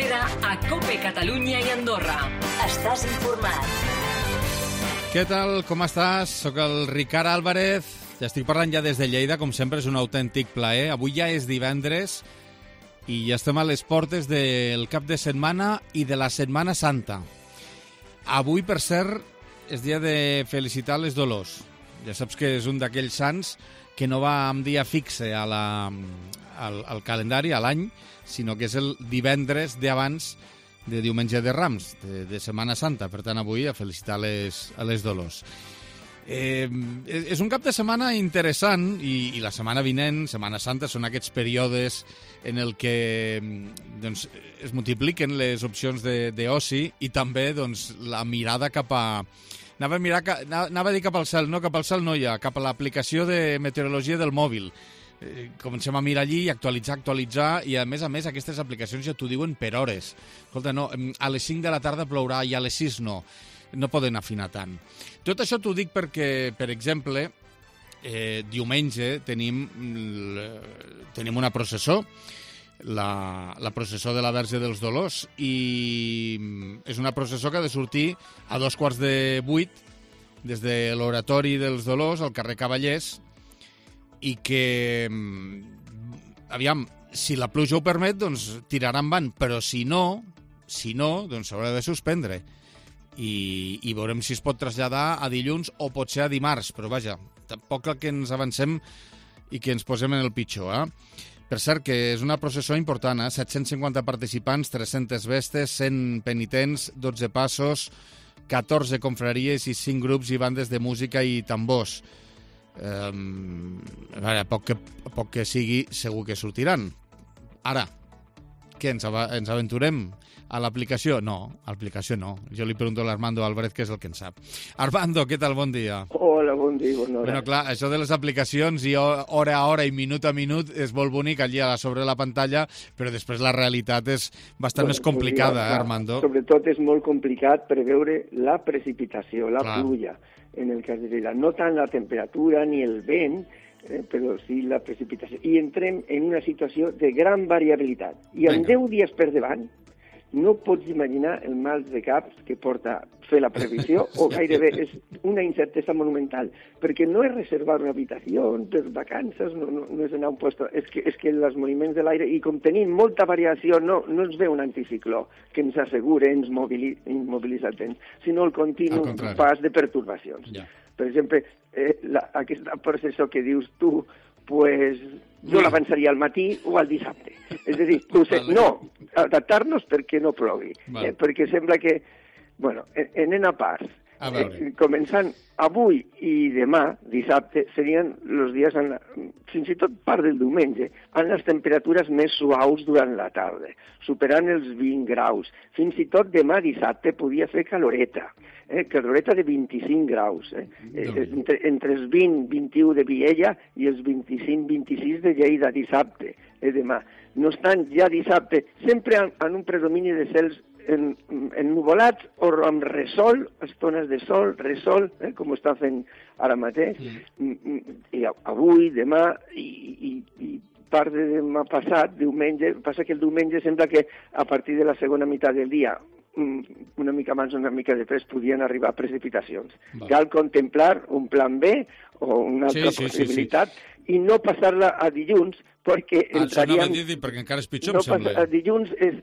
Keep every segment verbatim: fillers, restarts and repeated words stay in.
tercera a COPE Catalunya i Andorra. Estàs informat. Què tal? Com estàs? Soc el Ricard Álvarez. Ja estic parlant ja des de Lleida, com sempre és un autèntic plaer. Avui ja és divendres i ja estem a les portes del cap de setmana i de la Setmana Santa. Avui, per cert, és dia de felicitar les Dolors. Ja saps que és un d'aquells sants que no va amb dia fixe a la, al, al calendari, a l'any, sinó que és el divendres d'abans de diumenge de Rams, de, de Setmana Santa. Per tant, avui a felicitar les, a les Dolors. Eh, és un cap de setmana interessant i, i la setmana vinent, Setmana Santa, són aquests períodes en el que doncs, es multipliquen les opcions d'oci i també doncs, la mirada cap a... Anava a, mirar, anava a dir cap al cel, no, cap al cel no hi ha, cap a l'aplicació de meteorologia del mòbil. Eh, comencem a mirar allí i actualitzar, actualitzar, i a més a més aquestes aplicacions ja t'ho diuen per hores. Escolta, no, a les cinc de la tarda plourà i a les sis no. No poden afinar tant. Tot això t'ho dic perquè, per exemple, eh, diumenge tenim, tenim una processó, la, la processó de la Verge dels Dolors, i és una processó que ha de sortir a dos quarts de vuit des de l'Oratori dels Dolors al carrer Cavallers, i que, aviam, si la pluja ho permet, doncs tirarà endavant, però si no, si no, doncs s'haurà de suspendre. I, i veurem si es pot traslladar a dilluns o potser a dimarts, però vaja, tampoc que ens avancem i que ens posem en el pitjor, eh? Per cert, que és una processó important, eh? set-cents cinquanta participants, tres-centes vestes, cent penitents, dotze passos, catorze confraries i cinc grups i bandes de música i tambors. Eh, a veure, a poc que, a poc que sigui, segur que sortiran. Ara, què, ens, av ens aventurem a l'aplicació? No, a l'aplicació no. Jo li pregunto a l'Armando Álvarez, que és el que en sap. Armando, què tal? Bon dia. Hola, bon dia, bona hora. Bueno, clar, això de les aplicacions i hora a hora i minut a minut és molt bonic allà sobre la pantalla, però després la realitat és bastant bueno, més complicada, eh, Armando? Sobretot és molt complicat preveure la precipitació, la clar. pluja, en el cas de Lleida. No tant la temperatura ni el vent, eh, però sí la precipitació. I entrem en una situació de gran variabilitat. I amb deu dies per davant, no pots imaginar el mal de caps que porta fer la previsió, o gairebé és una incertesa monumental, perquè no és reservar una habitació per vacances, no, no, no és anar a un lloc, és que, és que els moviments de l'aire, i com tenim molta variació, no, no ens ve un anticicló que ens assegure, ens movili, immobilitza el temps, sinó el continu pas de pertorbacions. Ja. Per exemple, eh, la, aquesta processó que dius tu, pues, jo l'avançaria al matí o al dissabte. És a dir, no, adaptar-nos perquè no plogui. Eh, perquè sembla que, bueno, anem a parts. Eh, començant avui i demà, dissabte, serien els dies, en la, fins i tot part del diumenge, amb les temperatures més suaus durant la tarda, superant els vint graus. Fins i tot demà dissabte podia fer caloreta, eh, caloreta de vint-i-cinc graus, eh, eh, entre, entre els vint i vint-i-u de Viella i els vint-i-cinc vint-i-sis de Lleida dissabte, eh, demà. No estan ja dissabte, sempre en, en un predomini de cels En, en nuvolats o amb resol, estones de sol, resol, eh, com ho està fent ara mateix, mm. i avui, demà i, i, i part de demà passat, diumenge, passa que el diumenge sembla que a partir de la segona meitat del dia, una mica abans o una mica després, podien arribar precipitacions. Va. Cal contemplar un plan B o una altra sí, sí, possibilitat sí, sí. i no passar-la a dilluns, perquè ah, entraríem... Això no dir, perquè encara és pitjor, no em sembla. Passa, dilluns, és,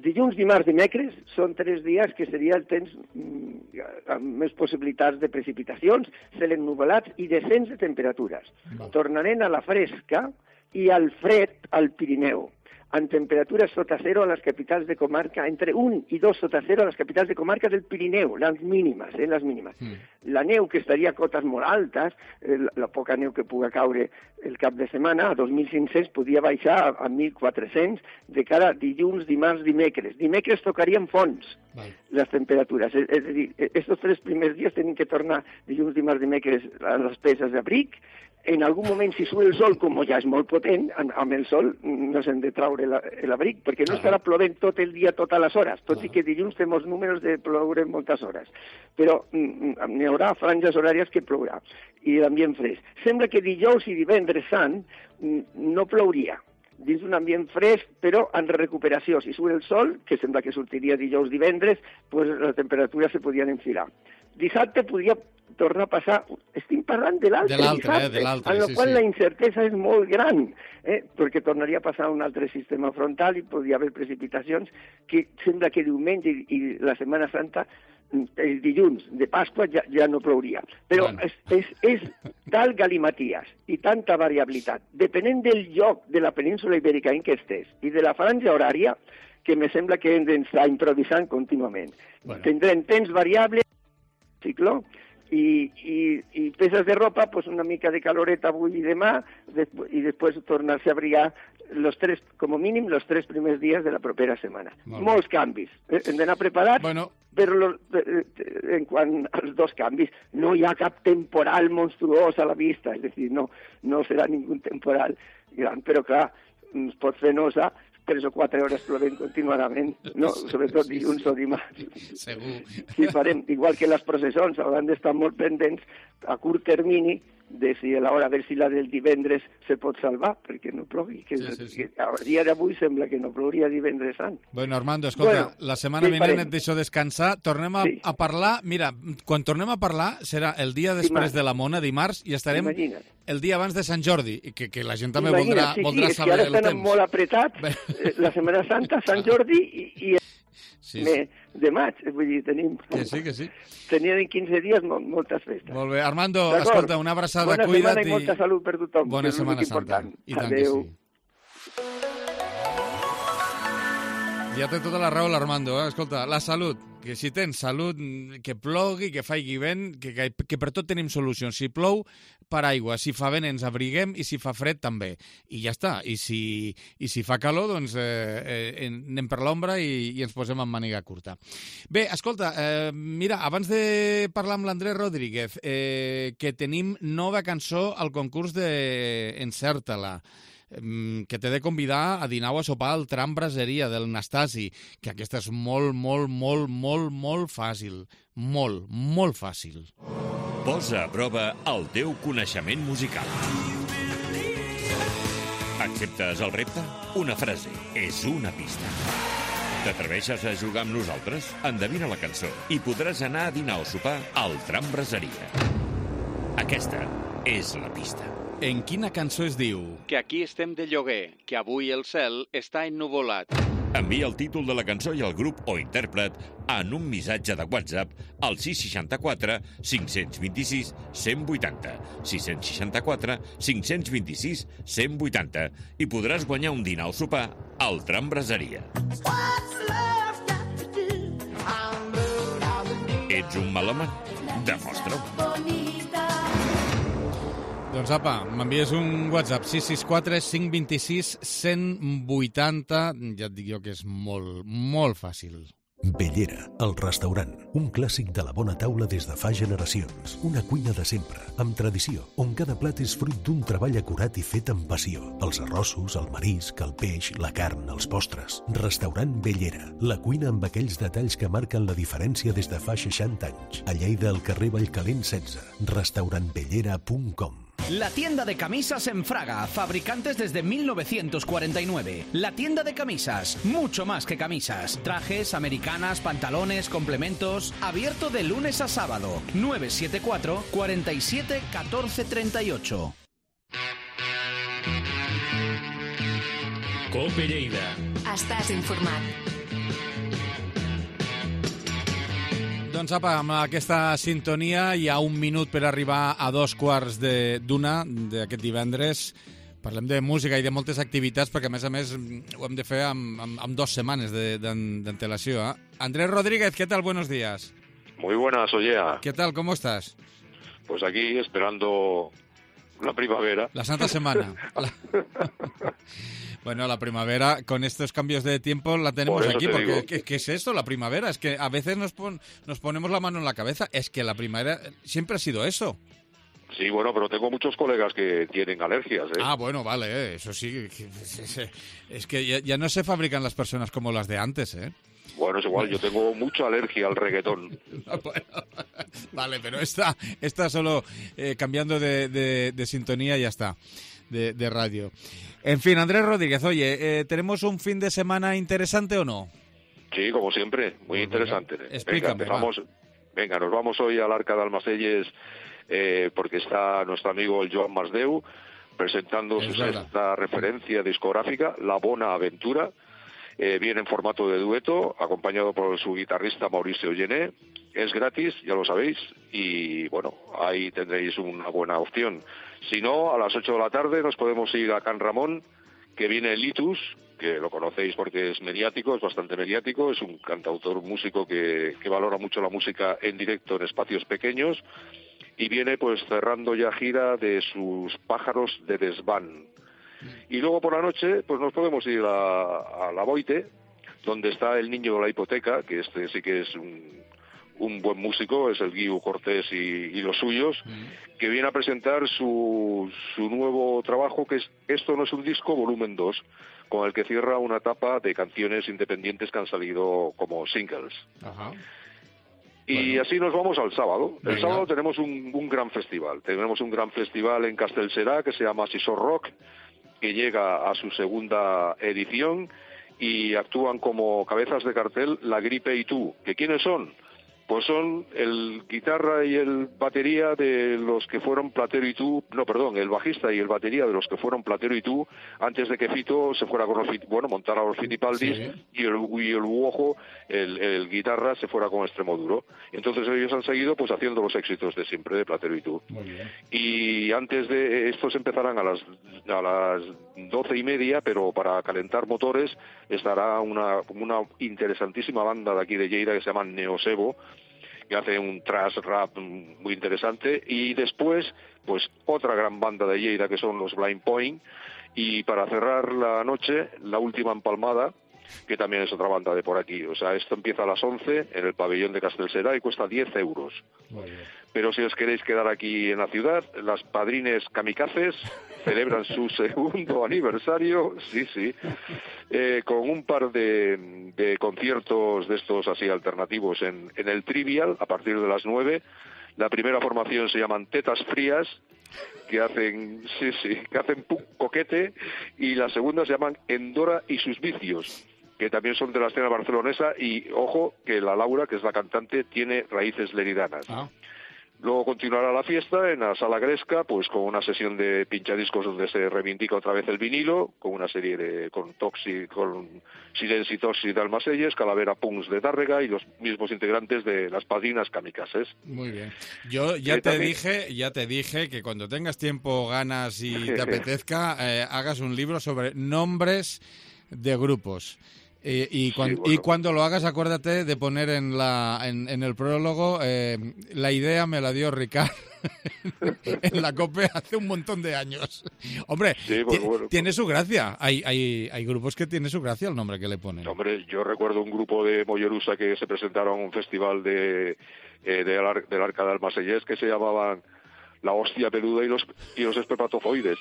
dilluns, dimarts, dimecres són tres dies que seria el temps mm, amb més possibilitats de precipitacions, cel ennuvolats i descens de temperatures. Va. Tornarem a la fresca i al fred al Pirineu, amb temperatures sota zero a les capitals de comarca, entre un i dos sota zero a les capitals de comarca del Pirineu, les mínimes, eh, les mínimes. Mm. La neu, que estaria a cotes molt altes, eh, la, la poca neu que puga caure el cap de setmana, a dos mil cinc-cents, podia baixar a, a mil quatre-cents de cara a dilluns, dimarts, dimecres. Dimecres tocarien fons, vale. Les temperatures. És, és a dir, aquests tres primers dies tenen que tornar dilluns, dimarts, dimecres a les peces d'abric. En algun moment, si surt el sol, com ja és molt potent, amb el sol no s'han de traure l'abric, perquè no estarà plovent tot el dia, totes les hores, tot i que dilluns fem els números de ploure moltes hores. Però n'hi haurà franges horàries que plourà, i l'ambient fresc. Sembla que dijous i divendres sant no plouria. dins d'un ambient fresc, però en recuperació. Si surt el sol, que sembla que sortiria dijous, divendres, pues la temperatura se podien enfilar. Dissabte podria tornar a passar... Estic parlant de l'altre dissabte, eh, de l'altre, en el sí, qual sí. la incertesa és molt gran, eh? perquè tornaria a passar un altre sistema frontal i podria haver precipitacions que sembla que diumenge i, i la Setmana Santa, el dilluns de Pasqua ja, ja no plouria. Però bueno. és, és, és tal galimaties i tanta variabilitat, depenent del lloc de la península ibèrica en què estés i de la franja horària, que me sembla que hem d'estar improvisant contínuament. Bueno. Tindrem temps variable, cicló, i, i, i peces de ropa, pues una mica de caloreta avui i demà, despu i després tornar-se a abrigar los tres, com a mínim, los tres primers dies de la propera setmana. Molt Molts canvis. Eh? Hem d'anar preparats, bueno. però lo, eh, en quant als dos canvis, no hi ha cap temporal monstruós a la vista, és a dir, no, no serà ningú temporal gran, però clar, ens pot fer nosa tres o quatre hores plovent continuadament, no? Sobretot dilluns o dimarts. Segur. Sí, farem, igual que les processons, hauran d'estar molt pendents a curt termini de si a l'hora, a veure si la del divendres se pot salvar, perquè no plogui. Que, sí, sí, sí. Que a dia d'avui sembla que no plouria divendres sant. Bueno, Armando, escolta, bueno, la setmana vinent farem? Et deixo descansar. Tornem a, sí. a parlar... Mira, quan tornem a parlar serà el dia després dimarts. de la Mona, dimarts, i estarem Imagina't. el dia abans de Sant Jordi, i que, que la gent també Imagina't, voldrà, sí, voldrà sí, saber el temps. Sí, ara estan molt apretats, la Setmana Santa, Sant Jordi i... i Sí, sí. de maig, vull dir, tenim... Que sí, que sí. Teníem en quinze dies molt, moltes festes. Molt bé. Armando, escolta, una abraçada, Bona cuida't i... Bona setmana i molta salut per tothom. Bona Setmana Santa. I tant que sí. Ja té tota la raó l'Armando, eh? Escolta, la salut, que si tens salut, que plogui, que faigui vent, que, que, que per tot tenim solucions. Si plou, paraigua, si fa vent ens abriguem i si fa fred també. I ja està. I si, i si fa calor, doncs eh, eh, anem per l'ombra i, i ens posem en màniga curta. Bé, escolta, eh, mira, abans de parlar amb l'Andrés Rodríguez, eh, que tenim nova cançó al concurs de Encerta-la, que t'he de convidar a dinar o a sopar al Tram Braseria del Nastasi, que aquesta és molt, molt, molt, molt, molt fàcil. Molt, molt fàcil. Posa a prova el teu coneixement musical. Acceptes el repte? Una frase és una pista. T'atreveixes a jugar amb nosaltres? Endevina la cançó i podràs anar a dinar o sopar al Tram Braseria. Aquesta és la pista. En quina cançó es diu? Que aquí estem de lloguer, que avui el cel està ennuvolat. Envia el títol de la cançó i el grup o intèrpret en un missatge de WhatsApp al sis seixanta-quatre cinc cents vint-i-sis cent vuitanta, sis seixanta-quatre cinc cents vint-i-sis cent vuitanta i podràs guanyar un dinar o sopar al Tram Braseria. Ets un melòman? Demostra-ho. Doncs apa, m'envies un WhatsApp sis sis quatre cinc dos sis cent vuitanta. Ja et dic jo que és molt, molt fàcil. Bellera, el restaurant. Un clàssic de la bona taula des de fa generacions. Una cuina de sempre, amb tradició, on cada plat és fruit d'un treball acurat i fet amb passió. Els arrossos, el marisc, el peix, la carn, els postres. Restaurant Bellera, la cuina amb aquells detalls que marquen la diferència des de fa seixanta anys. A Lleida, al carrer Vallcalent setze. restaurant bellera punt com. La tienda de camisas en Fraga, fabricantes desde mil novecientos cuarenta y nueve. La tienda de camisas, mucho más que camisas. Trajes, americanas, pantalones, complementos. Abierto de lunes a sábado. nueve siete cuatro, cuatro siete, uno cuatro tres ocho. Cope Lleida. Estàs informat. Doncs apa, amb aquesta sintonia hi ha un minut per arribar a dos quarts d'una d'aquest divendres. Parlem de música i de moltes activitats perquè, a més a més, ho hem de fer amb, amb, amb dues setmanes d'antelació. ¿eh? Andrés Rodríguez, ¿qué tal? Buenos días. Muy buenas, Ollea. ¿Qué tal? ¿Cómo estás? Pues aquí esperando la primavera. La Santa Semana. La... Bueno, la primavera, con estos cambios de tiempo la tenemos aquí, porque ¿qué, ¿qué es esto, la primavera? Es que a veces nos, pon, nos ponemos la mano en la cabeza, es que la primavera siempre ha sido eso. Sí, bueno, pero tengo muchos colegas que tienen alergias, ¿eh? Ah, bueno, vale, eh, eso sí, es que ya, ya no se fabrican las personas como las de antes, ¿eh? Bueno, es igual, yo tengo mucha alergia al reggaetón. Bueno, vale, pero esta, esta solo eh, cambiando de, de, de sintonía ya está. de, de radio. En fin, Andrés Rodríguez, oye, eh, ¿tenemos un fin de semana interesante o no? Sí, como siempre, muy Pues interesante. venga, explícame, venga, vamos, venga, nos vamos hoy al Arca de Almacelles eh, porque está nuestro amigo el Joan Masdeu presentando Es su verdad. sexta referencia discográfica, La Bona Aventura. Eh, viene en formato de dueto, acompañado por su guitarrista Mauricio Gené. Es gratis, ya lo sabéis, y bueno, ahí tendréis una buena opción. Si no, a las ocho de la tarde nos podemos ir a Can Ramón, que viene Litus, que lo conocéis porque es mediático, es bastante mediático, es un cantautor, músico que, que valora mucho la música en directo en espacios pequeños, y viene pues cerrando ya gira de sus Pájaros de Desván. Y luego por la noche pues nos podemos ir a, a La Boite, donde está el niño de la hipoteca, que este sí que es un, un buen músico, es el Guiu Cortés y, y los suyos, mm. que viene a presentar su, su nuevo trabajo, que es Esto no es un disco, volumen dos, con el que cierra una etapa de canciones independientes que han salido como singles. Ajá. Y bueno, así nos vamos al sábado. El venga. sábado tenemos un, un gran festival. Tenemos un gran festival en Castellserà que se llama Sisor Rock, que llega a su segunda edición y actúan como cabezas de cartel La Gripe y tú. ¿Que quiénes son? Pues son el guitarra y el batería de los que fueron Platero y tú, no, perdón, el bajista y el batería de los que fueron Platero y tú, antes de que Fito se fuera con los, bueno, montara los Fitipaldis, sí. y el, y el Uojo, el, el guitarra, se fuera con Extremoduro. Entonces ellos han seguido pues haciendo los éxitos de siempre de Platero y tú. Muy bien. Y antes de estos empezarán a las a las doce y media, pero para calentar motores estará una, una interesantísima banda de aquí de Lleida que se llama Neosebo, que hace un thrash rap muy interesante, y después pues otra gran banda de Lleida que son los Blind Point, y para cerrar la noche la Última Empalmada, que también es otra banda de por aquí. O sea, esto empieza a las once en el pabellón de Castellserà y cuesta diez euros. Pero si os queréis quedar aquí en la ciudad, las Padrines Kamikazes celebran su segundo aniversario, sí, sí, eh, con un par de, de conciertos de estos así alternativos en, en el Trivial a partir de las nueve. La primera formación se llaman Tetas Frías, que hacen, sí, sí, que hacen punk coquete, y la segunda se llaman Endora y sus vicios, que también son de la escena barcelonesa, y ojo que la Laura, que es la cantante, tiene raíces leridanas. Ah. Luego continuará la fiesta en la Sala Gresca, pues con una sesión de pinchadiscos donde se reivindica otra vez el vinilo, con una serie de, con Toxi, con Silenci Toxi de Almacelles, Calavera Punks de Tárrega y los mismos integrantes de las Padrinas Kamikazes. Muy bien. Yo ya te también... dije, ya te dije que cuando tengas tiempo, ganas y te apetezca, eh, hagas un libro sobre nombres de grupos. Eh, y, cuando, sí, bueno. y cuando lo hagas, acuérdate de poner en la en, en el prólogo eh, la idea me la dio Ricard en la COPE hace un montón de años. Hombre, sí, pues, bueno, tiene su gracia. Hay, hay hay grupos que tiene su gracia el nombre que le ponen. Hombre, yo recuerdo un grupo de Mollerusa que se presentaron a un festival de, eh, de Ar- del Arca de Almacelles que se llamaban La Hostia Peluda y los, y los Espermatozoides.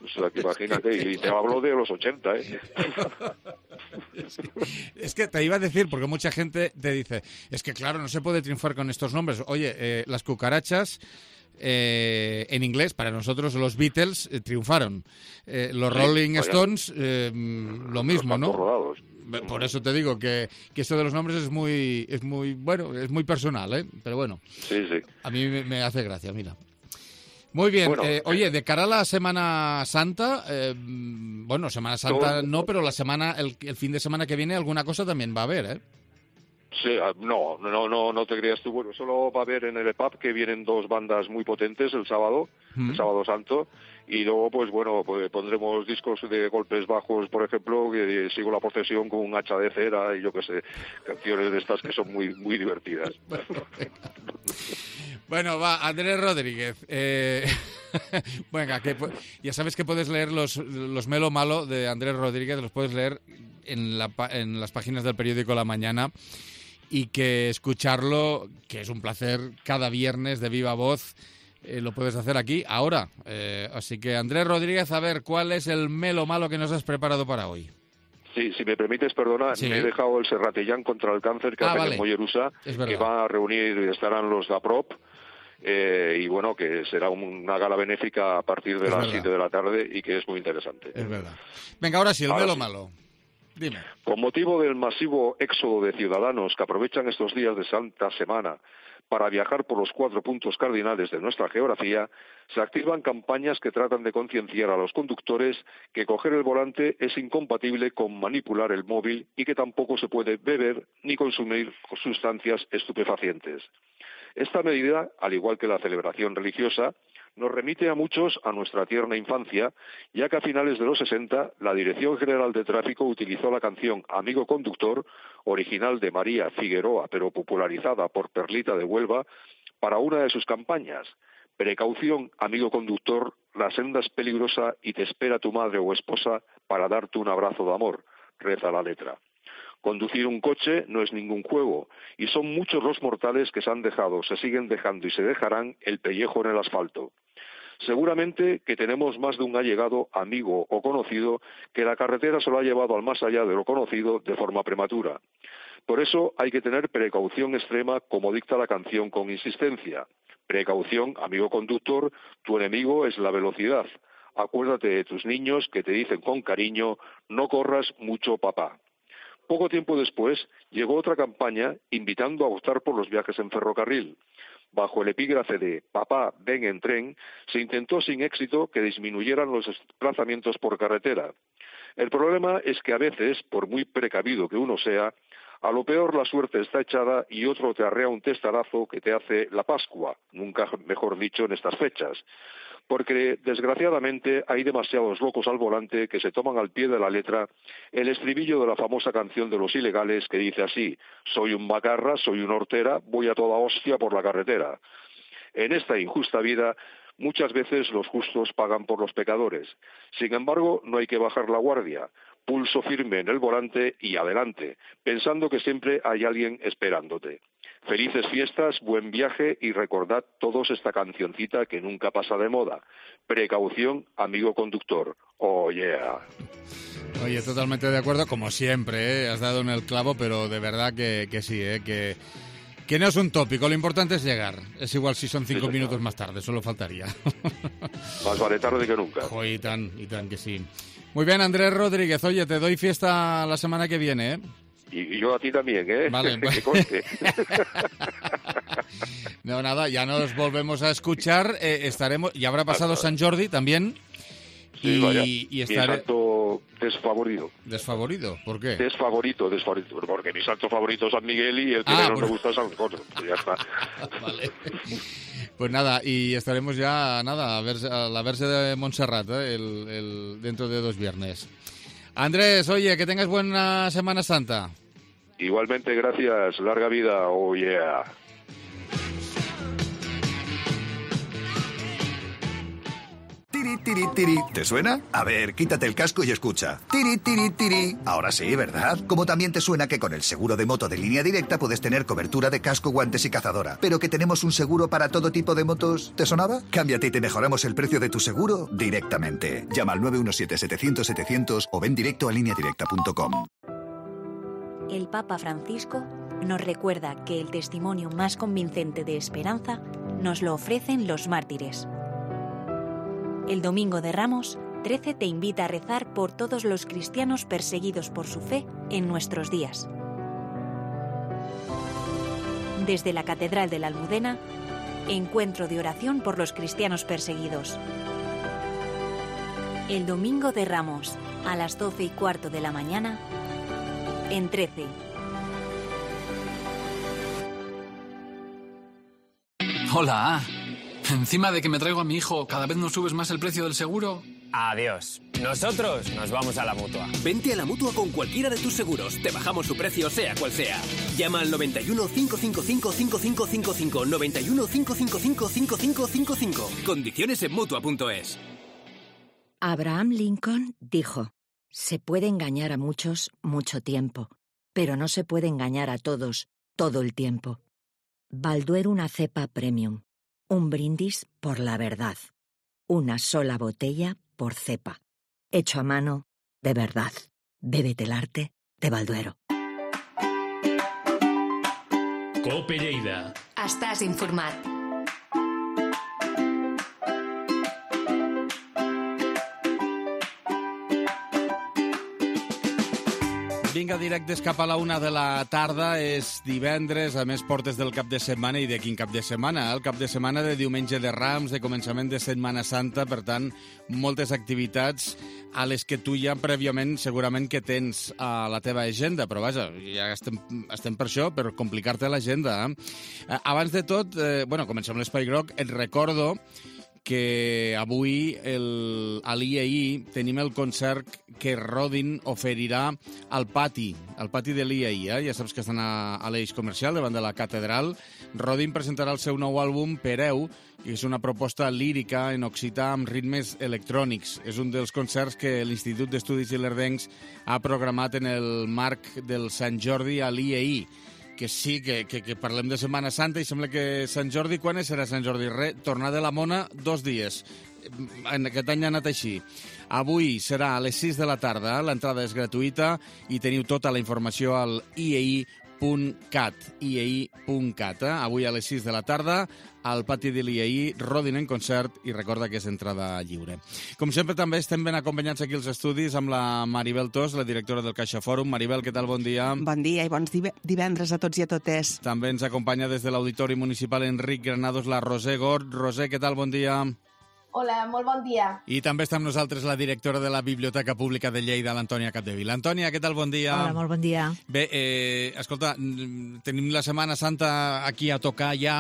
O sea, que imagínate, y te hablo de los ochenta, ¿eh? Es que te iba a decir, porque mucha gente te dice, es que claro, no se puede triunfar con estos nombres. Oye, eh, las cucarachas, eh, en inglés, para nosotros los Beatles eh, triunfaron. Eh, los sí, Rolling vaya. Stones, eh, lo mismo, ¿no? Rodados. Por eso te digo que, que esto de los nombres es muy, es muy, bueno, es muy personal, ¿eh? Pero bueno, sí, sí. A mí me, me hace gracia, mira. Muy bien. Bueno, eh, oye, de cara a la Semana Santa, eh, bueno, Semana Santa todo... no, pero la semana, el, el fin de semana que viene alguna cosa también va a haber, ¿eh? Sí, no, no, no, no te creas tú. Bueno, solo va a haber en el E P A P que vienen dos bandas muy potentes el sábado, ¿Mm? el sábado santo, y luego, pues bueno, pues pondremos discos de golpes bajos, por ejemplo, que sigo la procesión con un hacha de cera y yo qué sé, canciones de estas que son muy, muy divertidas. Bueno, va, Andrés Rodríguez. Eh, venga, que, ya sabes que puedes leer los, los Melo Malo de Andrés Rodríguez, los puedes leer en, la, en las páginas del periódico La Mañana, y que escucharlo, que es un placer cada viernes de viva voz, eh, lo puedes hacer aquí, ahora. Eh, así que, Andrés Rodríguez, a ver, ¿cuál es el Melo Malo que nos has preparado para hoy? Sí, si me permites, perdona, sí. me he dejado el Serratellán contra el cáncer que ah, hace vale. en Mollerusa, que va a reunir, estarán los de APROP, eh, y bueno, que será una gala benéfica a partir de es las verdad. siete de la tarde y que es muy interesante. Es verdad. Venga, ahora sí, el Ahora velo sí. malo. Dime. Con motivo del masivo éxodo de ciudadanos que aprovechan estos días de Santa Semana para viajar por los cuatro puntos cardinales de nuestra geografía, se activan campañas que tratan de concienciar a los conductores que coger el volante es incompatible con manipular el móvil y que tampoco se puede beber ni consumir sustancias estupefacientes. Esta medida, al igual que la celebración religiosa, nos remite a muchos a nuestra tierna infancia, ya que a finales de los sesenta la Dirección General de Tráfico utilizó la canción Amigo Conductor, original de María Figueroa, pero popularizada por Perlita de Huelva, para una de sus campañas. Precaución, amigo conductor, la senda es peligrosa y te espera tu madre o esposa para darte un abrazo de amor, reza la letra. Conducir un coche no es ningún juego, y son muchos los mortales que se han dejado, se siguen dejando y se dejarán el pellejo en el asfalto. Seguramente que tenemos más de un allegado, amigo o conocido que la carretera se lo ha llevado al más allá de lo conocido de forma prematura. Por eso hay que tener precaución extrema, como dicta la canción con insistencia. Precaución, amigo conductor, tu enemigo es la velocidad. Acuérdate de tus niños que te dicen con cariño, no corras mucho, papá. Poco tiempo después llegó otra campaña invitando a optar por los viajes en ferrocarril. Bajo el epígrafe de «Papá, ven en tren», se intentó sin éxito que disminuyeran los desplazamientos por carretera. El problema es que a veces, por muy precavido que uno sea, a lo peor la suerte está echada y otro te arrea un testarazo que te hace la Pascua, nunca mejor dicho en estas fechas. Porque, desgraciadamente, hay demasiados locos al volante que se toman al pie de la letra el estribillo de la famosa canción de Los Ilegales que dice así: «Soy un macarra, soy una hortera, voy a toda hostia por la carretera». En esta injusta vida, muchas veces los justos pagan por los pecadores. Sin embargo, no hay que bajar la guardia. Pulso firme en el volante y adelante, pensando que siempre hay alguien esperándote. Felices fiestas, buen viaje y recordad todos esta cancioncita que nunca pasa de moda. Precaución, amigo conductor. Oh, yeah. Oye, totalmente de acuerdo, como siempre, ¿eh? Has dado en el clavo, pero de verdad que, que sí, ¿eh? que, que no es un tópico, lo importante es llegar. Es igual si son cinco sí, minutos más tarde, solo faltaría. Más vale tarde que nunca. Oh, y tan, y tan que sí. Muy bien, Andrés Rodríguez, oye, te doy fiesta la semana que viene, ¿eh? Y yo a ti también, ¿eh? Vale. Que conste. No, nada, ya nos volvemos a escuchar. Eh, estaremos, ya habrá pasado San Jordi también. Sí, y, vaya. y estaré... Mi santo desfavorido. ¿Desfavorido? ¿Por qué? Desfavorito, desfavorito. Porque mi santo favorito es San Miguel y el que ah, menos por... me gusta es San Jorge. Ya está. Vale. Pues nada, y estaremos ya, nada, a, ver, a la verse de Montserrat, ¿eh? el, el, dentro de dos viernes. Andrés, oye, que tengas buena Semana Santa. Igualmente, gracias. Larga vida. Oh, yeah. Tiri, tiri, tiri. ¿Te suena? A ver, quítate el casco y escucha. Tiri, tiri, tiri. Ahora sí, ¿verdad? Como también te suena que con el seguro de moto de Línea Directa puedes tener cobertura de casco, guantes y cazadora. Pero que tenemos un seguro para todo tipo de motos. ¿Te sonaba? Cámbiate y te mejoramos el precio de tu seguro directamente. Llama al nueve uno siete, setecientos, setecientos o ven directo a línea directa punto com. El Papa Francisco nos recuerda que el testimonio más convincente de esperanza nos lo ofrecen los mártires. El Domingo de Ramos, trece te invita a rezar por todos los cristianos perseguidos por su fe en nuestros días. Desde la Catedral de la Almudena, encuentro de oración por los cristianos perseguidos. El Domingo de Ramos, a las doce y cuarto de la mañana, en trece. Hola. Encima de que me traigo a mi hijo, ¿cada vez nos subes más el precio del seguro? Adiós. Nosotros nos vamos a la Mutua. Vente a la Mutua con cualquiera de tus seguros. Te bajamos su precio, sea cual sea. Llama al noventa y uno, cinco cinco cinco, cinco cinco cinco cinco. noventa y uno, cinco cinco cinco, cinco cinco cinco cinco. Condiciones en Mutua punto es. Abraham Lincoln dijo: se puede engañar a muchos mucho tiempo, pero no se puede engañar a todos todo el tiempo. Balduero una cepa premium. Un brindis por la verdad. Una sola botella por cepa. Hecho a mano de verdad. Bébete el arte de Balduero. Cope Lleida. Estàs informat. Vinga, directes cap a la una de la tarda. És divendres, a més portes del cap de setmana. I de quin cap de setmana? El cap de setmana de diumenge de Rams, de començament de Setmana Santa. Per tant, moltes activitats a les que tu ja prèviament segurament que tens a la teva agenda. Però vaja, ja estem, estem per això, per complicar-te l'agenda. Eh? Abans de tot, eh, bueno, comencem l'Espai Groc. Et recordo que avui el, a l'I E I tenim el concert que Rodin oferirà al pati, al pati de l'I E I. Eh? Ja saps que estan a, a l'eix comercial, davant de la catedral. Rodin presentarà el seu nou àlbum, Pereu, que és una proposta lírica en occità amb ritmes electrònics. És un dels concerts que l'Institut d'Estudis Ilerdencs ha programat en el marc del Sant Jordi a l'I E I. Que sí, que, que, que parlem de Setmana Santa i sembla que Sant Jordi, quan serà Sant Jordi? Re, tornar de la Mona, dos dies. En aquest any ha anat així. Avui serà a les sis de la tarda, l'entrada és gratuïta i teniu tota la informació al i e i punt cat, i e i punt cat. Eh? Avui a les sis de la tarda, al pati de l'I E I, Rodin en concert, i recorda que és entrada lliure. Com sempre, també estem ben acompanyats aquí als estudis amb la Maribel Tos, la directora del Caixa Fòrum. Maribel, què tal? Bon dia. Bon dia i bons divendres a tots i a totes. També ens acompanya des de l'Auditori Municipal Enric Granados la Roser Gort. Roser, què tal? Bon dia. Hola, molt bon dia. I també està amb nosaltres la directora de la Biblioteca Pública de Lleida, l'Antònia Capdevila. Antònia, què tal? Bon dia. Hola, molt bon dia. Bé, eh, escolta, tenim la Setmana Santa aquí a tocar ja,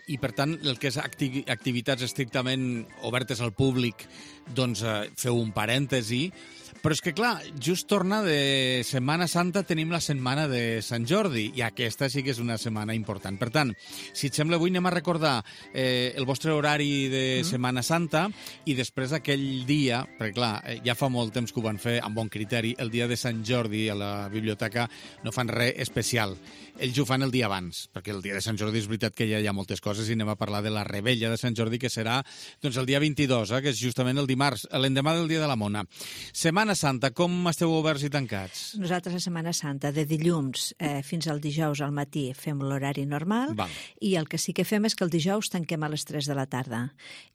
i, per tant, el que és acti activitats estrictament obertes al públic, doncs eh, feu un parèntesi. Però és que, clar, just torna de Setmana Santa, tenim la setmana de Sant Jordi, i aquesta sí que és una setmana important. Per tant, si et sembla, avui anem a recordar eh, el vostre horari de Setmana Santa i després aquell dia, perquè, clar, eh, ja fa molt temps que ho van fer amb bon criteri, el dia de Sant Jordi a la biblioteca no fan res especial. Ells ho fan el dia abans, perquè el dia de Sant Jordi és veritat que ja hi ha moltes coses i anem a parlar de la Rebella de Sant Jordi, que serà doncs, el dia vint-i-dos, eh, que és justament el dimarts, l'endemà del dia de la Mona. Setmana Santa, com esteu oberts i tancats? Nosaltres a Setmana Santa, de dilluns eh, fins al dijous al matí, fem l'horari normal. Val. I el que sí que fem és que el dijous tanquem a les tres de la tarda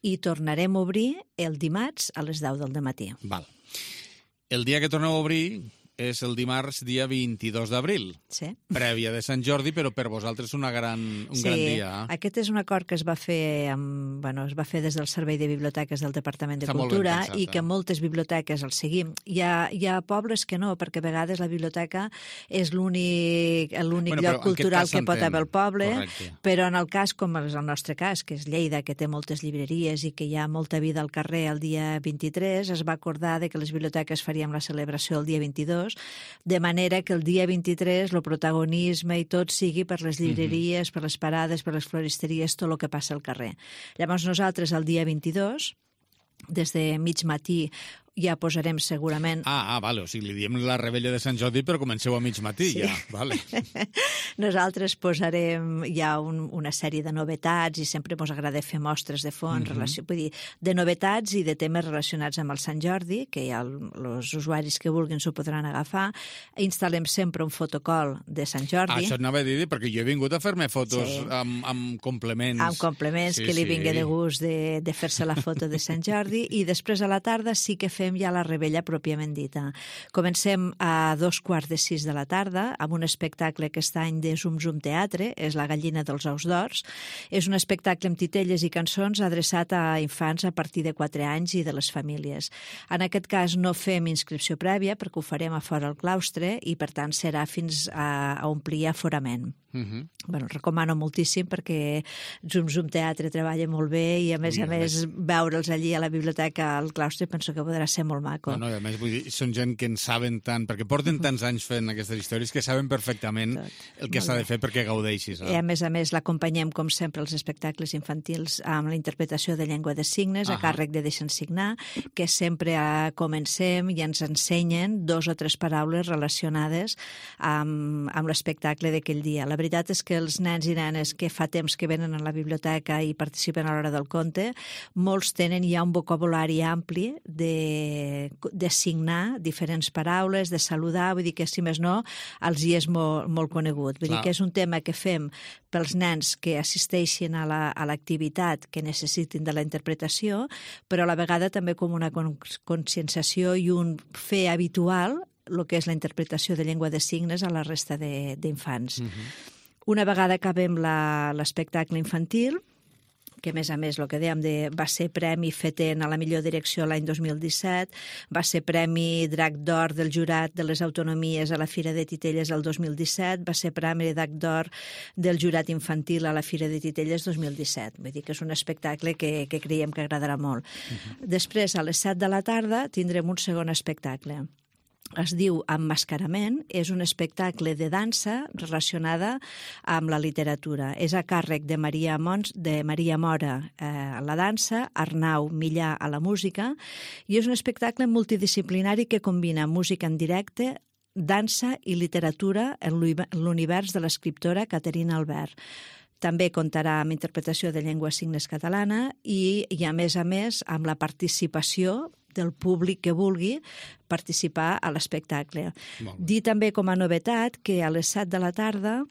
i tornarem a obrir el dimarts a les deu del dematí. Val. El dia que torneu a obrir és el dimarts, dia vint-i-dos d'abril. Sí. Prèvia de Sant Jordi, però per vosaltres una gran, un sí, gran dia. Sí, aquest és un acord que es va fer amb, bueno, es va fer des del Servei de Biblioteques del Departament de Està Cultura pensat, i que eh? moltes biblioteques el seguim. Hi ha, hi ha pobles que no, perquè a vegades la biblioteca és l'únic l'únic bueno, lloc cultural que pot haver el poble, correcte. Però en el cas, com és el nostre cas, que és Lleida, que té moltes llibreries i que hi ha molta vida al carrer el dia vint-i-tres, es va acordar de que les biblioteques faríem la celebració el dia vint-i-dos, de manera que el dia vint-i-tres el protagonisme i tot sigui per les llibreries, mm-hmm. per les parades, per les floristeries, tot el que passa al carrer. Llavors nosaltres el dia vint-i-dos, des de mig matí, ja posarem segurament... Ah, ah, vale, o sigui, li diem la Rebella de Sant Jordi, però comenceu a mig matí, sí. ja, vale. Nosaltres posarem ja un, una sèrie de novetats i sempre ens agrada fer mostres de fons, mm-hmm. relació, vull dir, de novetats i de temes relacionats amb el Sant Jordi, que ja els usuaris que vulguin s'ho podran agafar. Instal·lem sempre un fotocol de Sant Jordi. Ah, això anava a dir, perquè jo he vingut a fer-me fotos sí. amb, amb complements. Amb complements, sí, que li sí. vingui de gust de, de fer-se la foto de Sant Jordi, i després a la tarda sí que fem ja la Rebella pròpiament dita. Comencem a dos quarts de sis de la tarda amb un espectacle aquest any de Zum Zum Teatre, és La gallina dels ous d'ors. És un espectacle amb titelles i cançons adreçat a infants a partir de quatre anys i de les famílies. En aquest cas no fem inscripció prèvia perquè ho farem a fora al claustre i per tant serà fins a, a omplir aforament. Uh-huh. Bueno, recomano moltíssim perquè Zum Zum Teatre treballa molt bé i a més I a més, més veure'ls allí a la biblioteca al claustre penso que podrà ser molt maco. No, no, i a més vull dir, són gent que en saben tant, perquè porten tants anys fent aquestes històries que saben perfectament Tot. el que s'ha de fer perquè gaudeixis. Eh? I a més a més l'acompanyem com sempre als espectacles infantils amb la interpretació de llengua de signes, uh-huh. a càrrec de Deixa'ns signar, que sempre a, comencem i ens ensenyen dos o tres paraules relacionades amb, amb l'espectacle d'aquell dia. La veritat és que els nens i nenes que fa temps que venen a la biblioteca i participen a l'hora del conte, molts tenen ja un vocabulari ampli de, de signar diferents paraules, de saludar, vull dir que si més no, els hi és molt, molt conegut. Vull Clar. dir que és un tema que fem pels nens que assisteixin a la, a l'activitat que necessitin de la interpretació, però a la vegada també com una conscienciació i un fer habitual el que és la interpretació de llengua de signes a la resta d'infants. Uh-huh. Una vegada acabem l'espectacle infantil, que a més a més, el que dèiem, de, va ser Premi FETEN a la millor direcció l'any dos mil disset, va ser Premi Drac d'Or del Jurat de les Autonomies a la Fira de Titelles el dos mil disset, va ser Premi Drac d'Or del Jurat Infantil a la Fira de Titelles dos mil disset. Vull dir que és un espectacle que, que creiem que agradarà molt. Uh-huh. Després, a les set de la tarda, tindrem un segon espectacle. Es diu Emmascarament, és un espectacle de dansa relacionada amb la literatura. És a càrrec de Maria, Mons, de Maria Mora eh, a la dansa, Arnau Millà a la música, i és un espectacle multidisciplinari que combina música en directe, dansa i literatura en l'univers de l'escriptora Caterina Albert. També comptarà amb interpretació de llengua signes catalana i, i a més a més, amb la participació del públic que vulgui participar a l'espectacle. Dir també com a novetat que a les set de la tarda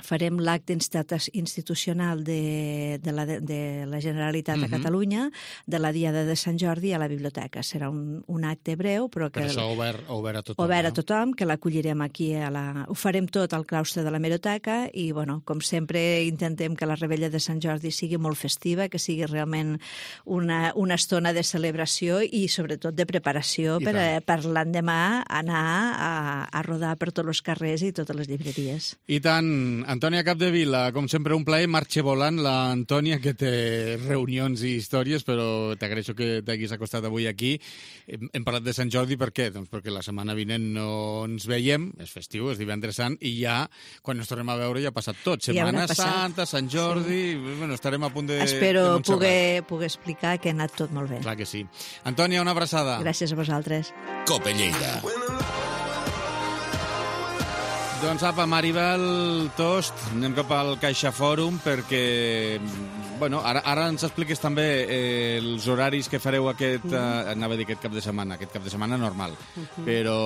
farem l'acte institucional de, de, la, de la Generalitat de uh-huh. Catalunya de la Diada de Sant Jordi a la biblioteca. Serà un, un acte breu, però que... Per això obert, obert a tothom. Obert a tothom, que l'acollirem aquí. A la... Ho farem tot al claustre de la Hemeroteca i, bueno, com sempre, intentem que la Rebella de Sant Jordi sigui molt festiva, que sigui realment una, una estona de celebració i, sobretot, de preparació per, per l'endemà anar a, a rodar per tots els carrers i totes les llibreries. I tant. Antònia Capdevila, com sempre, un plaer. Marxa volant l'Antònia, que té reunions i històries, però t'agraeixo que t'haguis acostat avui aquí. Hem, hem parlat de Sant Jordi, per què? Doncs perquè la setmana vinent no ens veiem, és festiu, és divendres sant, i ja, quan ens tornem a veure, ja ha passat tot. Setmana ja Santa, Sant Jordi... Sí. Bueno, estarem a punt de... Espero de poder, poder explicar que ha anat tot molt bé. Clar que sí. Antònia, una abraçada. Gràcies a vosaltres. Cope Lleida. Doncs apa, Maribel Tost, anem cap al Caixa Fòrum perquè, bueno, ara, ara ens expliques també eh, els horaris que fareu aquest, eh, anava a dir aquest cap de setmana, aquest cap de setmana normal, uh-huh. però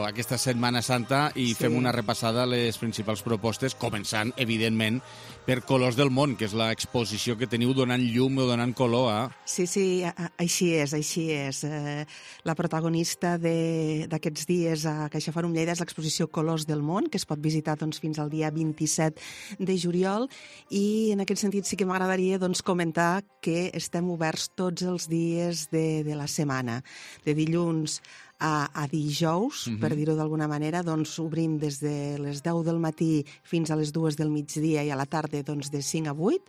aquesta Setmana Santa i sí. fem una repassada a les principals propostes, començant, evidentment, per Colors del Món, que és l'exposició que teniu donant llum o donant color a... Sí, sí, així és, així és. Eh, la protagonista d'aquests dies a Caixa Fòrum Lleida és l'exposició Colors del Món, que es pot visitar doncs, fins al dia vint-i-set de juliol, i en aquest sentit sí que m'agradaria doncs, comentar que estem oberts tots els dies de, de la setmana, de dilluns a, a dijous, uh-huh. per dir-ho d'alguna manera, doncs obrim des de les deu del matí fins a les dues del migdia i a la tarda doncs, de cinc a vuit.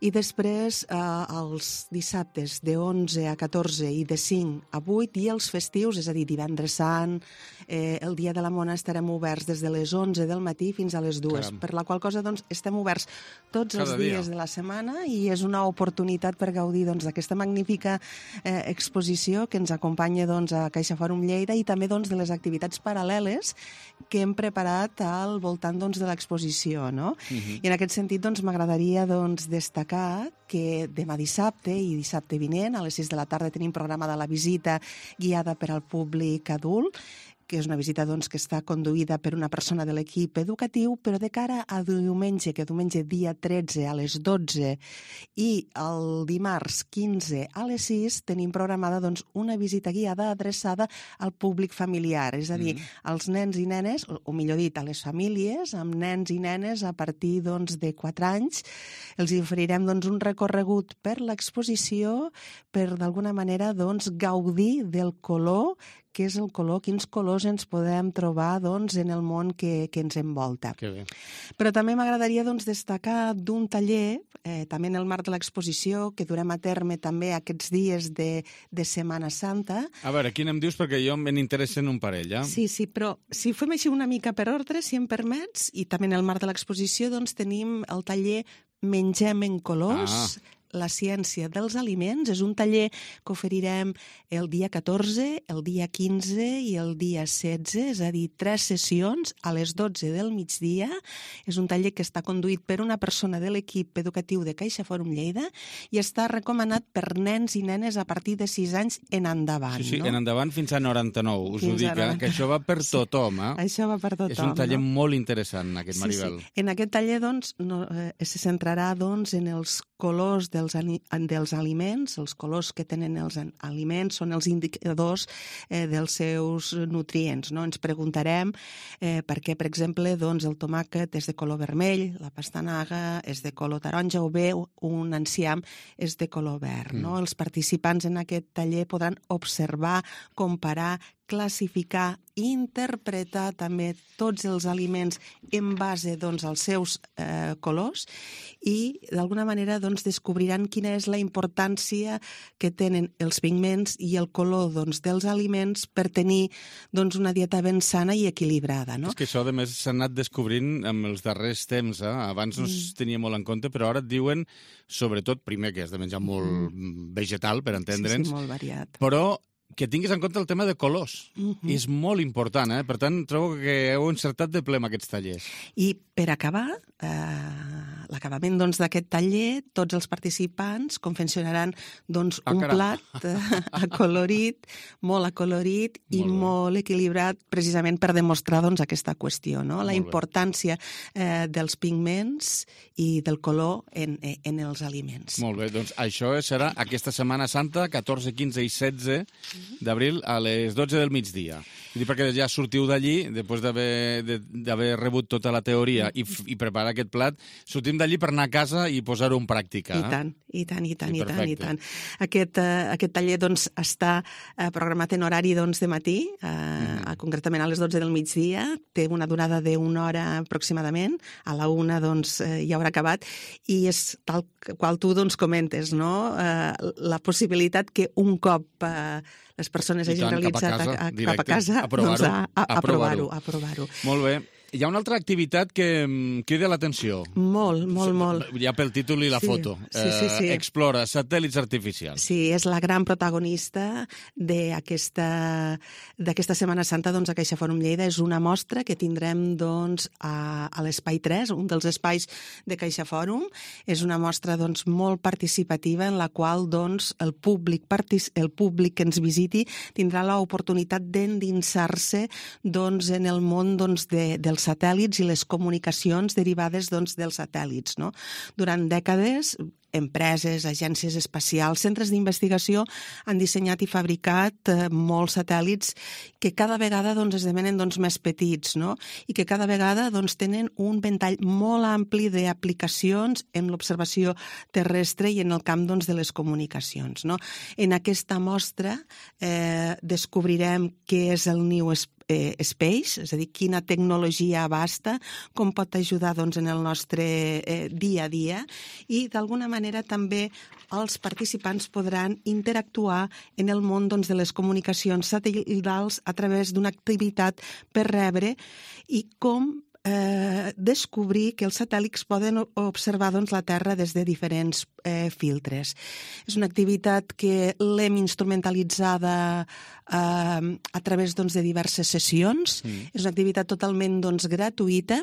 I després eh, els dissabtes de onze a catorze i de cinc a vuit, i els festius, és a dir, divendres sant, eh, el dia de la Mona estarem oberts des de les onze del matí fins a les dues, Caram. Per la qual cosa doncs, estem oberts tots Cada els dies dia. de la setmana i és una oportunitat per gaudir doncs, d'aquesta magnífica eh, exposició que ens acompanya doncs, a Caixa Fòrum Lleida i també doncs, de les activitats paral·leles que hem preparat al voltant doncs, de l'exposició. No? Uh-huh. I en aquest sentit doncs, m'agradaria doncs, destacar que demà dissabte i dissabte vinent a les sis de la tarda tenim programada la visita guiada per al públic adult, que és una visita doncs, que està conduïda per una persona de l'equip educatiu, però de cara a diumenge, que diumenge dia tretze a les dotze i el dimarts quinze a les sis tenim programada doncs, una visita guiada adreçada al públic familiar, és a dir, mm. als nens i nenes, o, o millor dit, a les famílies, amb nens i nenes a partir doncs, de quatre anys. Els oferirem doncs, un recorregut per l'exposició per d'alguna manera doncs, gaudir del color, què és el color, quins colors ens podem trobar doncs, en el món que, que ens envolta. Que bé. Però també m'agradaria doncs, destacar d'un taller, eh, també en el marc de l'exposició, que durem a terme també aquests dies de, de Setmana Santa. A veure, quin em dius? Perquè jo me n'interessen un parell, eh? Sí, sí, però si fem així una mica per ordre, si em permets, i també en el marc de l'exposició doncs, tenim el taller Mengem en colors, ah. la ciència dels aliments. És un taller que oferirem el dia catorze, el dia quinze i el dia setze, és a dir, tres sessions a les dotze del migdia. És un taller que està conduït per una persona de l'equip educatiu de Caixa Fòrum Lleida i està recomanat per nens i nenes a partir de sis anys en endavant. Sí, sí, no? en endavant fins a noranta-nou. Us fins ho dic, eh? Que això va per tothom. Eh? Això va per tothom. És un taller no? molt interessant, aquest, Maribel. Sí, sí. En aquest taller doncs, no, eh, se centrarà doncs, en els colors de dels, dels aliments, els colors que tenen els aliments són els indicadors eh, dels seus nutrients. No? Ens preguntarem eh, per què, per exemple, doncs, el tomàquet és de color vermell, la pastanaga és de color taronja o bé un enciam és de color verd. No? Mm. Els participants en aquest taller podran observar, comparar, classificar, interpretar també tots els aliments en base doncs, als seus eh, colors i d'alguna manera doncs, descobriran quina és la importància que tenen els pigments i el color doncs, dels aliments per tenir doncs, una dieta ben sana i equilibrada. No? És que això, a més, s'ha anat descobrint amb els darrers temps. Eh? Abans no es tenia molt en compte, però ara et diuen, sobretot, primer que has de menjar molt mm. vegetal, per entendre'ns, sí, sí, molt variat. Però que tinguis en compte el tema de colors. Mm-hmm. És molt important, eh? Per tant, trobo que heu encertat de ple amb aquests tallers. I per acabar, eh, l'acabament doncs, d'aquest taller, tots els participants confeccionaran doncs, ah, un caram. plat eh, acolorit, molt acolorit i molt, molt equilibrat, precisament per demostrar doncs, aquesta qüestió, no? La importància eh, dels pigments i del color en, en els aliments. Molt bé, doncs això serà aquesta Setmana Santa, catorze, quinze i setze d'abril a les dotze del migdia. I perquè ja sortiu d'allí, després d'haver rebut tota la teoria i, i preparar aquest plat, sortim d'allí per anar a casa i posar-ho en pràctica. I tant, i tant, i tant, i, i tant, i tant. Aquest, uh, aquest taller doncs, està uh, programat en horari doncs, de matí, uh, mm. concretament a les dotze del migdia, té una durada d'una hora aproximadament, a la una doncs, uh, ja haurà acabat, i és tal qual tu doncs, comentes, no? Uh, la possibilitat que un cop uh, les persones hagin tant, realitzat cap a casa, a, a, directe, cap a casa, a provar-ho, doncs a, a, a, a provar-ho. a provar-ho. Molt bé. Hi ha una altra activitat que crida l'atenció. Molt, molt, molt. Ja pel títol i la sí, foto. Sí, sí, sí. Eh, Explora, satèl·lits artificials. Sí, és la gran protagonista d'aquesta d'aquesta Setmana Santa doncs, a Caixa Fòrum Lleida. És una mostra que tindrem doncs, a, a l'Espai tres, un dels espais de Caixa Fòrum. És una mostra doncs, molt participativa en la qual doncs, el, públic partic el públic que ens visiti tindrà l'oportunitat d'endinsar-se doncs, en el món doncs, de, dels satèl·lits i les comunicacions derivades doncs, dels satèl·lits. No? Durant dècades, empreses, agències espacials, centres d'investigació han dissenyat i fabricat eh, molts satèl·lits que cada vegada doncs, esdevenen doncs, més petits, no? I que cada vegada doncs, tenen un ventall molt ampli d'aplicacions en l'observació terrestre i en el camp doncs, de les comunicacions. No? En aquesta mostra eh, descobrirem què és el New Space, és a dir, quina tecnologia abasta, com pot ajudar doncs, en el nostre eh, dia a dia i d'alguna manera també els participants podran interactuar en el món doncs, de les comunicacions satèl·litals a través d'una activitat per rebre i com eh, descobrir que els satèl·lits poden observar doncs, la Terra des de diferents eh, filtres. És una activitat que l'hem instrumentalitzada eh, a través doncs, de diverses sessions. Mm. És una activitat totalment doncs, gratuïta.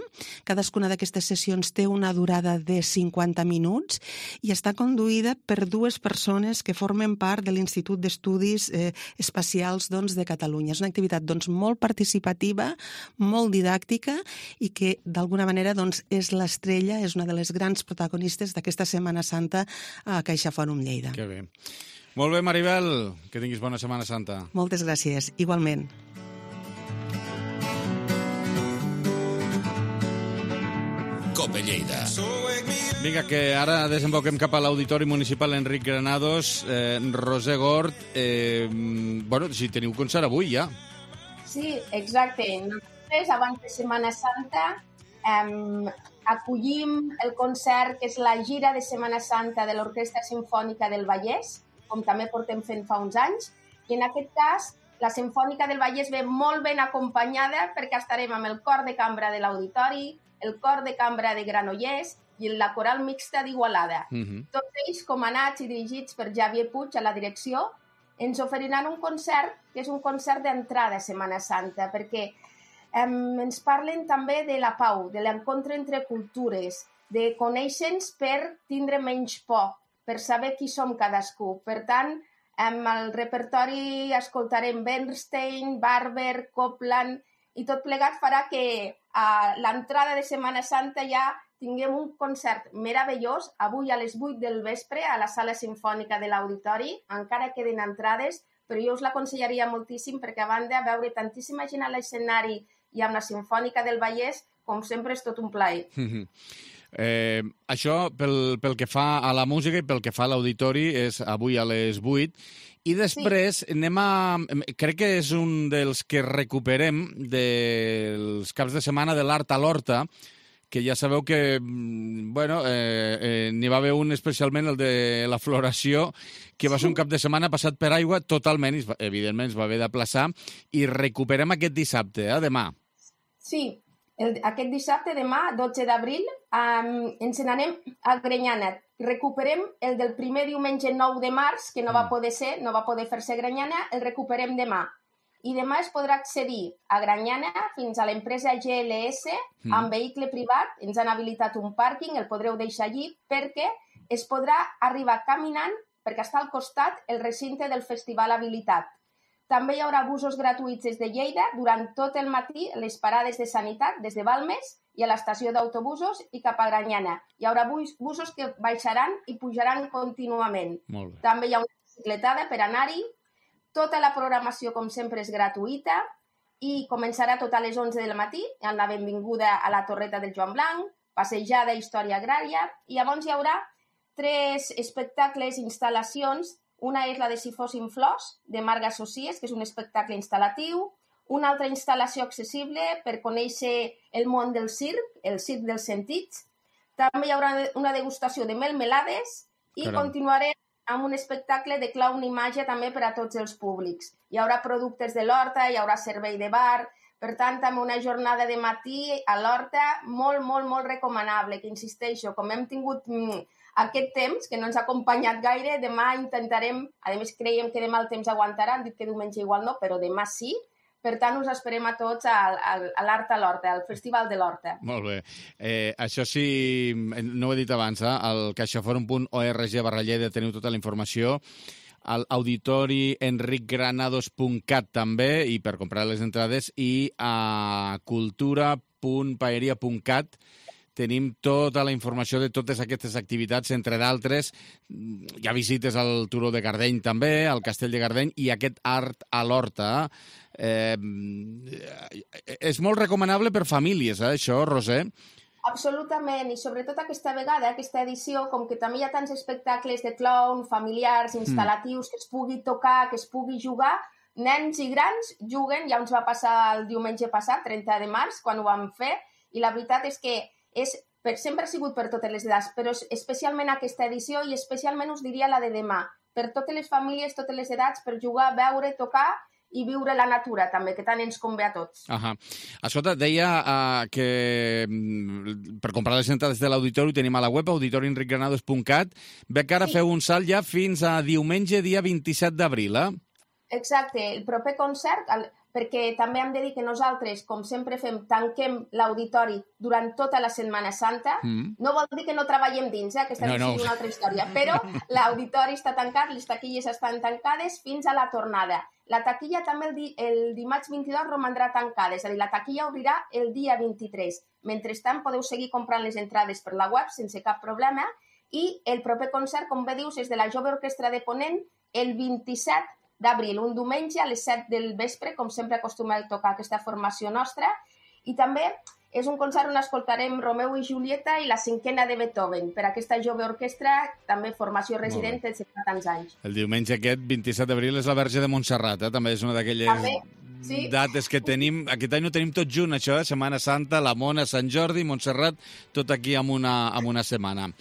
Cadascuna d'aquestes sessions té una durada de cinquanta minuts i està conduïda per dues persones que formen part de l'Institut d'Estudis eh, Espacials doncs, de Catalunya. És una activitat doncs, molt participativa, molt didàctica i que d'alguna manera doncs, és l'estrella, és una de les grans protagonistes d'aquesta Setmana Santa a Caixa Fòrum Lleida. Que bé. Molt bé, Maribel, que tinguis bona Setmana Santa. Moltes gràcies, igualment. Cope Lleida. Vinga, que ara desemboquem cap a l'Auditori Municipal Enric Granados. Eh, Roser Gort, eh, bueno, si teniu concert avui ja. Sí, exacte. Nosaltres, abans de Setmana Santa, eh, acollim el concert que és la gira de Setmana Santa de l'Orquestra Simfònica del Vallès, com també portem fent fa uns anys, i en aquest cas la Simfònica del Vallès ve molt ben acompanyada perquè estarem amb el cor de cambra de l'Auditori, el cor de cambra de Granollers i la coral mixta d'Igualada. Uh-huh. Tots ells comandats i dirigits per Javier Puig a la direcció, ens oferiran un concert que és un concert d'entrada a Setmana Santa, perquè um, ens parlen també de la pau, de l'encontre entre cultures, de conèixer-nos per tindre menys por, per saber qui som cadascú. Per tant, amb el repertori escoltarem Bernstein, Barber, Copland, i tot plegat farà que a l'entrada de Setmana Santa ja tinguem un concert meravellós avui a les vuit del vespre a la Sala Simfònica de l'Auditori. Encara queden entrades, però jo us l'aconsellaria moltíssim perquè, a banda, veure tantíssima gent a l'escenari i amb la Simfònica del Vallès, com sempre, és tot un plaer. Eh, això, pel, pel que fa a la música i pel que fa a l'auditori, és avui a les vuit. I després sí. anem a... Crec que és un dels que recuperem dels caps de setmana de l'Art a l'Horta, que ja sabeu que, bueno, eh, eh, n'hi va haver un especialment, el de la floració, que va ser un cap de setmana passat per aigua totalment, i evidentment es va haver d'aplaçar, i recuperem aquest dissabte, eh, demà. Sí, el, aquest dissabte, demà, dotze d'abril, um, ens n'anem a Granyana. Recuperem el del primer diumenge nou de març, que no va poder ser, no va poder fer-se a Granyana, el recuperem demà. I demà es podrà accedir a Granyana fins a l'empresa G L S mm. amb vehicle privat. Ens han habilitat un pàrquing, el podreu deixar allí, perquè es podrà arribar caminant, perquè està al costat el recinte del festival habilitat. També hi haurà busos gratuïts des de Lleida durant tot el matí, les parades de sanitat des de Balmes i a l'estació d'autobusos i cap a Granyana. Hi haurà bus, busos que baixaran i pujaran contínuament. Molt bé. També hi ha una bicicletada per anar-hi. Tota la programació, com sempre, és gratuïta i començarà tot a les onze del matí, amb la benvinguda a la Torreta del Joan Blanc, passejada història agrària, i llavors hi haurà tres espectacles, instal·lacions. Una és la de Si fossin flors, de Marga Socies, que és un espectacle instal·latiu. Una altra instal·lació accessible per conèixer el món del circ, el circ dels sentits. També hi haurà una degustació de melmelades i Caram. continuarem amb un espectacle de clown i màgia també per a tots els públics. Hi haurà productes de l'Horta, hi haurà servei de bar, per tant, també una jornada de matí a l'Horta molt, molt, molt recomanable, que insisteixo, com hem tingut mm, aquest temps, que no ens ha acompanyat gaire, demà intentarem, a més creiem que demà el temps aguantarà, han dit que diumenge igual no, però demà sí. Per tant, us esperem a tots a, a, a l'Art a l'Horta, al Festival de l'Horta. Molt bé. Eh, això sí, no ho he dit abans, eh? Al caixaforum punt org barra Lleida teniu tota la informació, al auditori enric granados punt cat també, i per comprar les entrades, i a cultura punt paeria punt cat tenim tota la informació de totes aquestes activitats, entre d'altres. Hi ha visites al Turó de Gardeny també, al Castell de Gardeny, i aquest Art a l'Horta. Eh, és molt recomanable per famílies, eh, això, Roser? Absolutament, i sobretot aquesta vegada, aquesta edició, com que també hi ha tants espectacles de clown, familiars, instal·latius, mm. que es pugui tocar, que es pugui jugar, nens i grans juguen, ja ens va passar el diumenge passat, trenta de març, quan ho vam fer, i la veritat és que és, per, sempre ha sigut per totes les edats, però especialment aquesta edició i especialment us diria la de demà, per totes les famílies, totes les edats, per jugar, veure, tocar i viure la natura també, que tant ens convé a tots. Ahà. Escolta, deia uh, que per comprar les entrades de l'auditori tenim a la web auditori enric granados punt cat. Veig que ara sí. feu un salt ja fins a diumenge, dia vint-i-set d'abril, eh? Exacte, el proper concert, el, perquè també hem de dir que nosaltres, com sempre fem, tanquem l'auditori durant tota la Setmana Santa. Mm. No vol dir que no treballem dins, eh? Aquesta no, no. és una altra història, però l'auditori està tancat, les taquilles estan tancades fins a la tornada. La taquilla també el, di el dimarts vint-i-dos romandrà tancada, és a dir, la taquilla obrirà el dia vint-i-tres. Mentrestant, podeu seguir comprant les entrades per la web sense cap problema, i el proper concert, com bé dius, és de la Jove Orquestra de Ponent el vint-i-set d'abril, un diumenge a les set del vespre, com sempre acostuma a tocar aquesta formació nostra, i també és un concert on escoltarem Romeu i Julieta i la cinquena de Beethoven, per aquesta Jove Orquestra, també formació resident de tants anys. El diumenge aquest, vint-i-set d'abril, és la Verge de Montserrat, eh? També és una d'aquelles sí. dates que tenim. Aquest any ho tenim tot junt, això, eh? Setmana Santa, la Mona, Sant Jordi, Montserrat, tot aquí en una, en una setmana.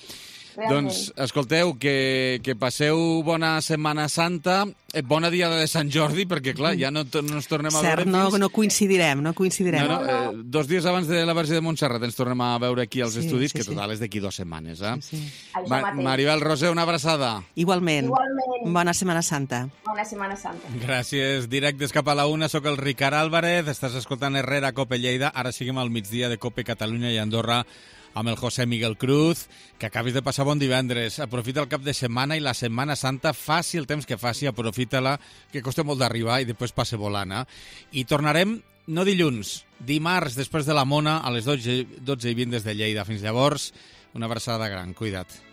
Realment. Doncs, escolteu, que, que passeu bona Setmana Santa, eh, bona Diada de Sant Jordi, perquè, clar, ja no, no ens tornem a Cert, veure no, fins... no coincidirem, no coincidirem. No, no, eh, dos dies abans de la Verge de Montserrat ens tornem a veure aquí als sí, estudis, sí, que total és d'aquí dues setmanes, eh? Sí, sí. Ma Maribel, Roser, una abraçada. Igualment. Igualment. Bona Setmana Santa. Bona Setmana Santa. Gràcies. Directes cap a la una, sóc el Ricard Álvarez, estàs escoltant Herrera, Cope Lleida, ara seguim al migdia de Cope Catalunya i Andorra, amb el José Miguel Cruz, que acabis de passar bon divendres. Aprofita el cap de setmana i la Setmana Santa, faci el temps que faci, aprofita-la, que costa molt d'arribar i després passe volant. Eh? I tornarem no dilluns, dimarts, després de la Mona, a les dotze i vint des de Lleida. Fins llavors, una abraçada gran. Cuida't.